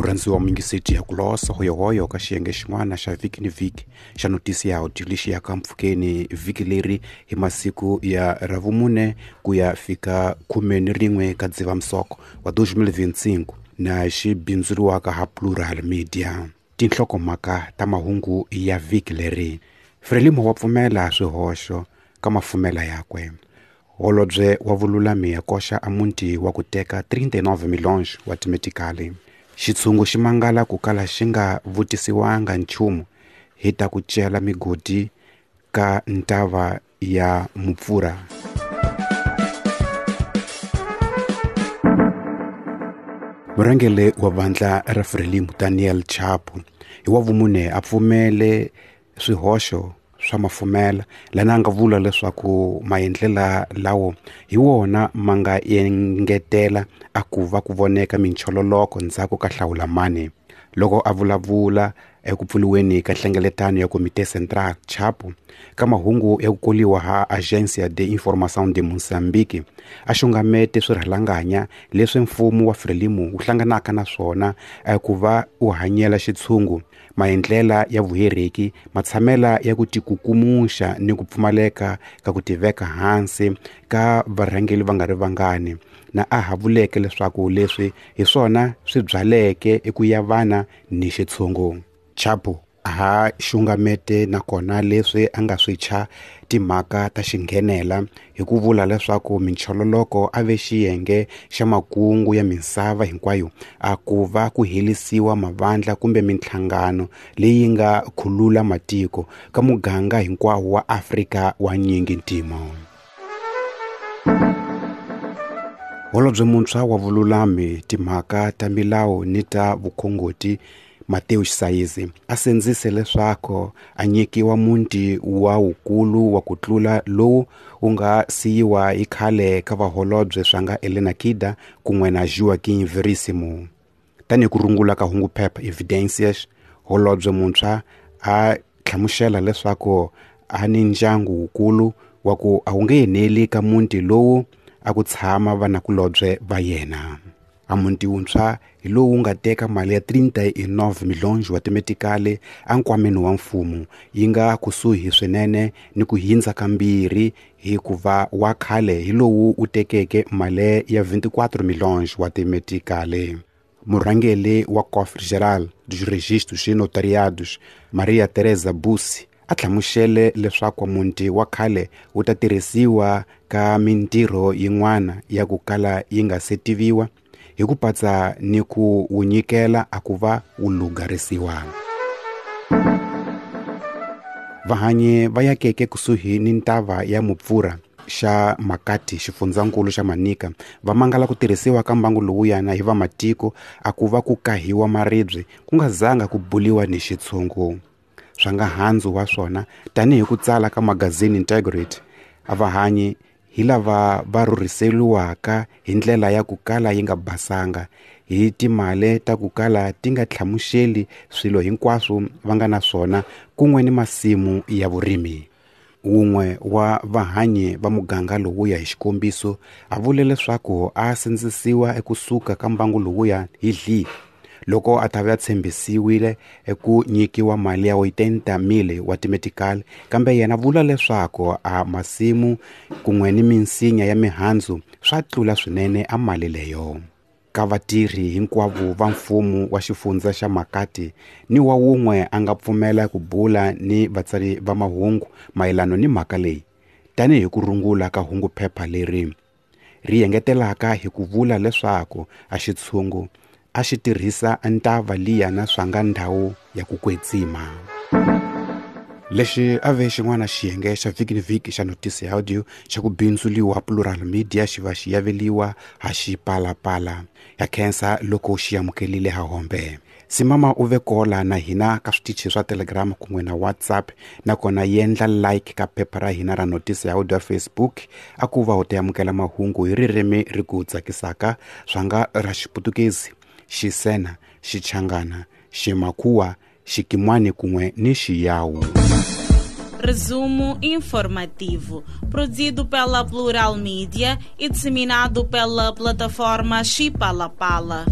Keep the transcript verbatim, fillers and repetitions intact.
Murhandziwa muyingiseti ya ku losa hoyohoyo ka xiyenge xin'wana xa vhiki ni vhiki xa notisi ya audio lexi yaka mpfhukeni vhiki leri hi masiku ya ravumune ku ya fika khume ni rin'we ka Dzivamisoko wa dois mil vinte e cinco na xi bindzuriwaka ha Plural Media. Tinhlokomhaka ta mahungu ya vhiki leri: Frelimo wa pfumela swihoxo ka mafumela yakwe. Holobye wa vululami ya koxa a muti wa ku teka trinta e nove milhões wa timetikali. Xitshungu xi mangala ku kala xi nga vutisiwanga nchumu hi ta ku cela migodi ka ntava ya Mupfura. Murhangeri wa vandla ra Frelimo Daniel Chapo hi wa vumune a pfumele swihoxo swa mafumela lana nga vula leswaku maendlela lawo hi wona ma nga engetela a ku va ku voneka minchololoko ndzhaku ka hlawula mani. Loko a vulavula eku pfuriweni ka nhlengeletano ya Comité Central Chapo ka mahungu ya ku koliwa ha Agência de Informação de Moçambique a xungamete swirhalanganya leswi mfumo wa Frelimo wu hlanganaka na swona ku va wu hanyela xitshungu, maendlela ya vuhereki, matshamela ya ku tikukumuxa ni ku pfumaleka ka ku tiveka hansi ka varhangeri va nga ri vangani, na a ha vuleke leswaku leswi hi swona swi byaleke eku yavana ni xitshungu. Chapo ha xungamete nakona leswi a nga swi thya timhaka ta xinghenela hi ku vula leswaku minchololoko a ve xiyenge xa makungu ya misava hinkwayo a ku va ku helisiwa mavandla kumbe minhlangano leyi nga khulula matiko ka muganga hinkwawo wa Afrika wa nyingi ntimo. Holobye muntshwa wa vululami, timhaka ta milawu ni ta vukhongoti Mateus Saizi a sindzise leswaku a nyikiwa muti wa wukulu wa ku tlula lowu wu nga siyiwa hi khale ka vaholobye swa nga Helena Kida kun'we na Joaquim Veríssimo. Tanihi ku rungula ka hungu phepha Evidências, holobye muntshwa a hlamusela leswaku a ni ndyangu wukulu wa ku a wu nge eneli ka muti lowu a ku tshama vanakulobye va yena. A muti wuntshwa hi lowu nga teka mali ya trinta e nove milhões wa timetikali enkwameni wa mfumo, yi nga kusuhi swinene ni ku hindza kambirhi hikuva wa khale hi lowu wu tekeke mali ya vinte e quatro milhões wa timetikali. Murhangeri wa Cofre Geral dos Registros e Notariados, Maria Teresa Bussi, a hlamusele leswaku muti wa khale wu ta tirhisiwa ka mintirho yin'wana ya ku kala yi nga se tiviwa hi ku patsa ni ku wu nyikela a ku va wu lugarisiwa. Vahanyi va yakeke kusuhi ni ntava ya Mupfura xa Makati xifundzankulu xa Manica va mangala ku tirhisiwa ka mbangu lowuyana hi vamatiko a ku va ku kahiwa maribye ku nga zanga ku buliwa ni xitshungu. Swa nga handzu wa swona tanihi ku tsala ka magazini Integrity, a vahanyi hi lava va rhurhiseriwaka hi ndlela ya ku kala yi nga basanga hi timali ta ku kala ti nga hlamuseli swilo hinkwaswo va nga na swona kun'we ni masimu ya vurimi. Wun'we wa vahanyi va muganga lowuya hi xikombiso a vule leswaku a sindzisiwa ekusuka ka mbangu lowuya hi dli loko a ta va tshembisiwile eku nyikiwa mali ya oitenta mil wa timetikali, kambe yena vula leswaku a masimu kun'we ni minsinya ya mihandzu swa tlula swinene a mali leyo. Ka vatirhi hinkwavo va mfumo wa xifundza xa Makati ni wa wun'we a nga pfumela ku bula ni vatsari va mahungu mayelano ni mhaka leyi, tanihi ku rungula ka hungu phepha leri ri engetelaka hi ku vula leswaku a xitshungu a xi tirhisa ntava liya na swa nga ndhawu ya ku kwetsima. Lexi a ve xin'wana xiyenge xa vhiki ni vhiki xa notisi ya audio xa ku bindzuliwa Plural Media xi va xi yaveliwa ha Xipalapala. Ya khensa loko xi amukelile ha hombe. Simama u ve kola na hina ka switichi swa Telegram kun'we na WhatsApp, nakona yendla like ka phepha ra hina ra notisi ya audio ya Facebook a ku va u ta amukela mahungu hi ririmi ri ku tsakisaka swa nga ra Xiputukezi, Xisena, Xichangana, Ximakhuwa, Xikimwani kun'we ni Xiyawu. Resumo informativo, produzido pela Plural Media e disseminado pela plataforma Xipalapala.